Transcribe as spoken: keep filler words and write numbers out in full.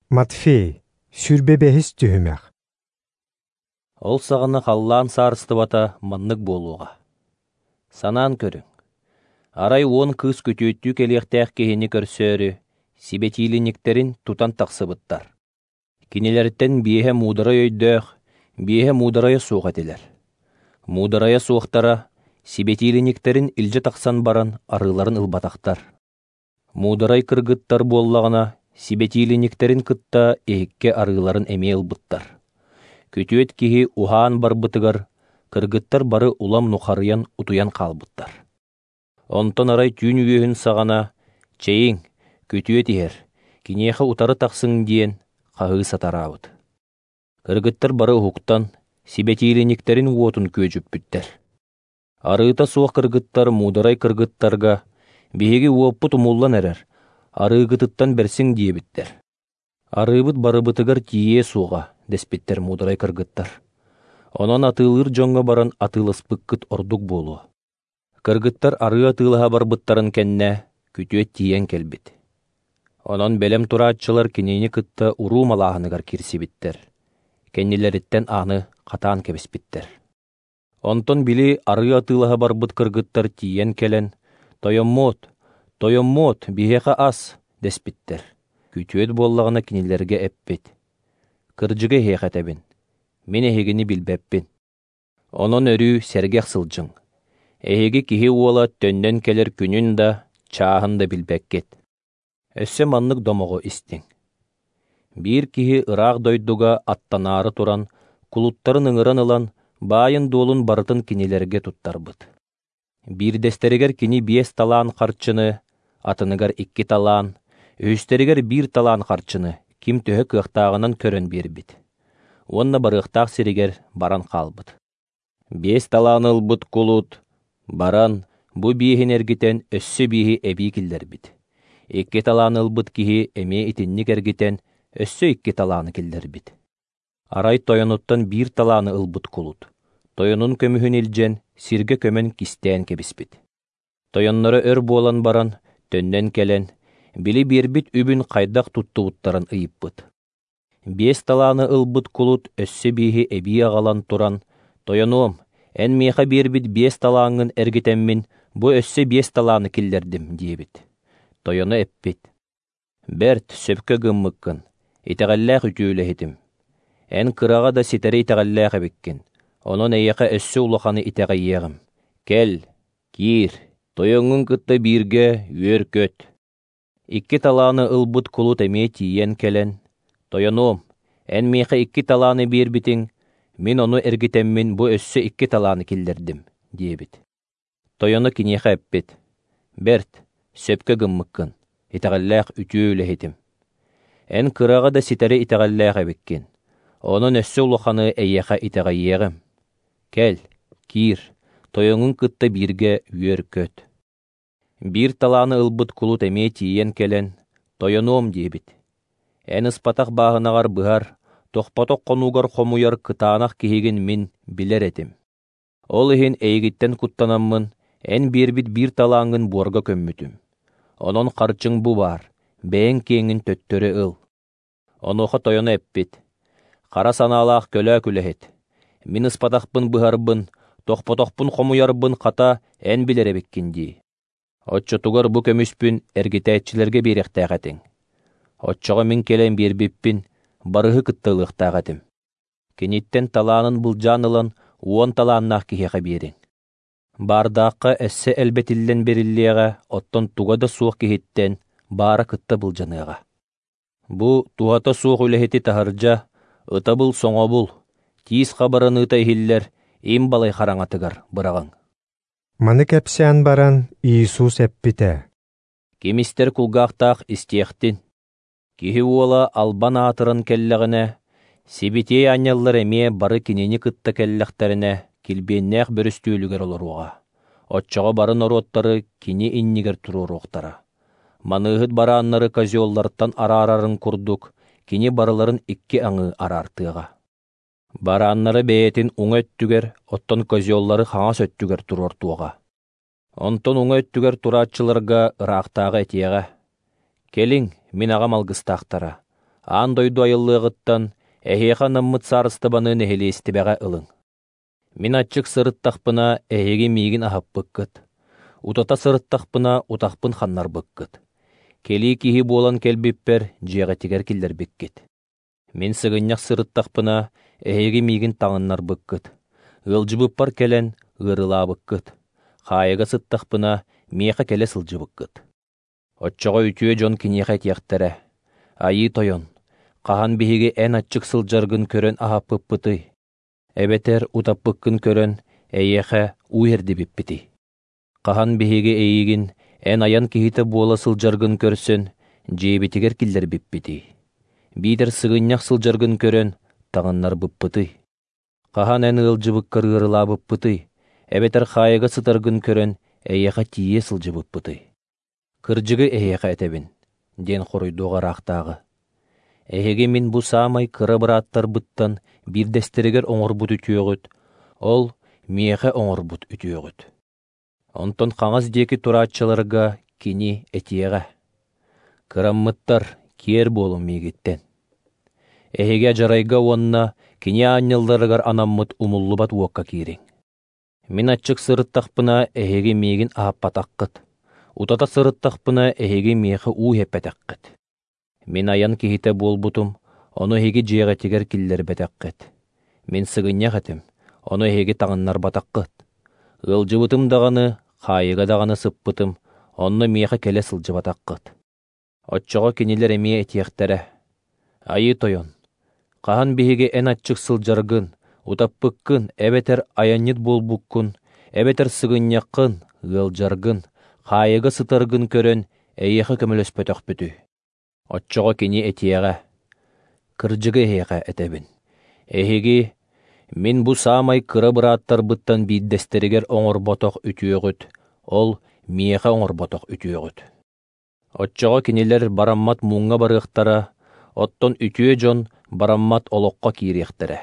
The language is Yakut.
Матфей, сүүрбэ бэһис түһүмэх. Ол саҕана халлаан саарыстыбата маннык буолуоҕа. Санаан көрүҥ. Арай уон кыыс күтүөттүү кэлиэхтээх киһини көрсөөрү, сибэтиилинньиктэрин тутан тахсыбыттар. Кинилэртэн биэһэ муударай өйдөөх, биэһэ муударайа суох этилэр. Муударайа суохтара сибэтиилинньиктэрин илдьэ тахсан баран арыыларын ылбатахтар. Муударай кыргыттар буоллаҕына сибэтиилинньиктэрин кытта иһиккэ арыыларын эмиэ ылбыттар. Күтүөт киһи уһаан барбытыгар кыргыттар бары улам нухарыйан утуйан хаалбыттар. Онтон арай түүн үөһүн саҕана «Чэйиҥ, күтүөт иһэр, киниэхэ утары тахсыҥ» диэн хаһыы сатараабыт. Кыргыттар бары уһуктан, сибэтиилинньиктэрин уотун күөдьүппүттэр. Арыыта суох кыргыттар муударай кыргыттарга «Биһиги уоппут умуллан эрэр, арыыгытыттан бэрсиҥ» диэбиттэр. Арыыбыт барыбытыгар тиийиэ суоҕа, дэспиттэр муударай кыргыттар. Онон атыылыыр дьоҥҥо баран атыыласпыккыт ордук буолуо. Кыргыттар арыы атыылаһа барбыттарын кэннэ күтүөт тиийэн кэлбит. Онон бэлэм турааччылар кинини кытта уруу малааһыныгар киирсибиттэр. Кэннилэриттэн ааны хатаан кэбиспиттэр. Онтон били арыы атыылаһа барбыт кыргыттар тиийэн кэлэн «Тойоммуот, тойоммуот, биһиэхэ ас» дэспиттэр. Күтүөт буоллаҕына кинилэргэ эппит: «Кырдьыгы эһиэхэ этэбин, мин эһигини билбэппин. Онон өрүү сэргэх сылдьыҥ. Эһиги киһи уола төннөн кэлэр күнүн да, чааһын да билбэккит. Өссө маннык домоҕу истиҥ. Биир киһи ыраах дойдуга аттанаары туран, кулуттарын ыҥыран ылан, баайын-дуолун барытын кинилэргэ туттарбыт. Биирдэстэригэр кини биэс талаан харчыны, атыныгар икки талаан, үһүстэригэр биир талаан харчыны ким төһө кыахтааҕынан көрөн биэрбит. Уонна барыахтаах сиригэр баран хаалбыт. Биэс талааны ылбыт кулут баран, бу биэһин эргитэн өссө биэһи эбии киллэрбит. Икки талааны ылбыт киһи эмиэ итинник эргитэн өссө икки талааны киллэрбит. Арай тойонуттан биир талааны ылбыт кулут, тойонун көмүһүн илдьэн, сиргэ көмөн кистээн кэбиспит. Тойонноро өр буолан баран, төннөн кэлэн, били биэрбит үбүн хайдах туттубуттарын ыйыппыт. Биэс талааны ылбыт кулут өссө биэһи эбии аҕалан туран, «Тойонуом, эн миэхэ биэрбит биэс талааҥҥын эргитэммин, бу өссө биэс талааны киллэрдим» диэбит. Тойоно эппит: «Бэрт, сөпкө гыммыккын, итэҕэллээх үтүө үлэһитим. Эн кыраҕа да ситэри итэҕэллээх эбиккин, онон эйиэхэ өссө улаханы итэҕэйиэҕим. Кэл, киир, тойоҥҥун кытта бииргэ үөр-көт». Икки талааны ылбыт кулут эмиэ тиийэн кэлэн, «Тойонуом, эн миэхэ икки талааны биэрбитиҥ, мин ону эргитэммин бу өссө икки талааны киллэрдим» диэбит. Тойоно киниэхэ эппит: «Бэрт, сөпкө гыммыккын, итэҕэллээх үтүө үлэһитим. Эн кыраҕа да ситэри итэҕэллээх эбиккин, онон өссө улаханы эйиэхэ итэҕэйиэҕим. Кэл, киир, тойоҥҥун кытта бииргэ үөр-көт». Биир талааны ылбыт кулут эмиэ тиийэн кэлэн, «Тойонуом» диэбит. «Эн ыспатах бааһынаҕар быһар, тохпотох хонуугар хомуйар кытаанах киһигин мин билэр этим. Ол иһин эйигиттэн куттанаммын, эн биэрбит биир талааҥҥын буорга көммүтүм. Онон харчыҥ бу баар, бэйэҥ киэҥин төттөрү ыл». Онуоха тойоно эппит: «Хара санаалаах көлөөк үлэһит, мин ыспатахпын быһарбын, тохпотохпун хомуйарбын хата эн билэр эбиккин дии. Оччотугар бу көмүспүн эргитээччилэргэ биэриэхтээх этиҥ. Оччоҕо мин кэлэн биэрбиппин барыһы кытта ылыахтаах этим. Киниттэн талаанын былдьаан ылан уон талааннаах киһиэхэ биэриҥ. Баардаахха өссө элбэтиллэн бериллиэҕэ, оттон туга да суох киһиттэн баара кытта былдьаныаҕа. Бу туһата суох үлэһити таһырдьа, ытабыл соҥобул, тиис хабараныыта иһиллэр им балай хараҥатыгар быраҕыҥ». Маны кэпсээн баран Иисус эппитэ: «Ким истэр кулгаахтаах истиэхтин. Киһи уола албан аатыран кэллэҕинэ, сибитиэй аанньаллар эмиэ бары кинини кытта кэллэхтэринэ, килбиэннээх бөрүстүөлүгэр олоруоҕа. Оччоҕо бары норуоттары кини иннигэр туруоруохтара. Маныыһыт барааннары козеллартан араарарын курдук, кини барыларын икки аҥыы араартыаҕа. Барааннары бэйэтин уҥа өттүгэр, оттон козеллары хаҥас өттүгэр туруортуоҕа. Онтон уҥа өттүгэр турааччыларга ыраахтааҕы этиэҕэ: «Кэлиҥ, мин аҕам алгыстаахтара, Аан дойду айыллыаҕыттан эһиэхэ анаммыт саарыстыбаны нэһилиэстибэҕэ ылыҥ. Мин аччык сырыттахпына, эһиги миигин аһаппыккыт. Утата сырыттахпына, утахпын ханнарбыккыт. Кэлии киһи буолан кэлбиппэр, дьиэҕитигэр киллэрбиккит. Мин сыгынньах сырыттахпына, эһиги миигин таҥыннарбыккыт. Ыалдьыбыппар кэлэн, ыарыылаабыккыт. Хаайыга сыттахпына, миэхэ кэлэ сылдьыбыккыт. Оччоҕо үтүө дьон киниэхэ этиэхтэрэ: Айыы Тойон, хаһан биһиги эн аччык сылдьаргын көрөн аһаппыппытый? Эбэтэр утаппыккын көрөн, эйиэхэ уу иһэрдибиппитий? Хаһан биһиги эйигин эн айан киһитэ буола сылдьаргын көрсөн, дьиэбитигэр киллэрбиппитий? Биитэр сыгынньах сылдьаргын көрөн, таҥыннарбыппытый? Хаһан эн ыалдьыбыккар ыарыылаабыппытый? Эбэтэр хаайыга сытаргын көрөн, эйиэхэ тиийэ сылдьыбыппытый? Кырдьыгы эһиэхэ этэбин, диэн хоруйдуоҕа ыраахтааҕы. Эһиги мин бу саамай кыра бырааттарбыттан биирдэстэригэр оҥорбут үтүөҕүт, ол миэхэ оҥорбут үтүөҕүт. Онтон хаҥас диэки турааччыларга кини этиэҕэ: Кыраммыттар, киэр буолуҥ миигиттэн. Эһиги адьарайга уонна кини аанньалларыгар анаммыт умуллубат уокка киириҥ. Мин аччык сырыттахпына, эһиги миигин аһаппатаххыт. Утата сырыттахпына, эһиги миэхэ уу иһэппэтэххит. Мин айан киһитэ буолбутум, ону эһиги дьиэҕитигэр киллэрбэтэххит. Мин сыгынньах этим, ону эһиги таҥыннарбатаххыт. Ыалдьыбытым даҕаны, хаайыга даҕаны сыппытым, онно миэхэ кэлэ сылдьыбатаххыт. Оччоҕо кинилэр эмиэ этиэхтэрэ: Айыы Тойон, хаһан биһиги эн аччык сылдьаргын, утаппыккын, эбэтэр айанньыт буолбуккун, эбэтэр сыгынньаххын, ыалдьаргын, хаайыга сытаргын көрөн, эйиэхэ көмөлөспөтөхпүтүй? Оччоҕо кини этиэҕэ: Кырдьыгы эһиэхэ этэбин. Эһиги мин бу саамай кыра бырааттарбыттан биирдэстэригэр оҥорботох үтүөҕүт, ол миэхэ оҥорботох үтүөҕүт. Оччоҕо кинилэр бараммат муҥҥа барыахтара, оттон үтүө дьон бараммат олоххо киириэхтэрэ.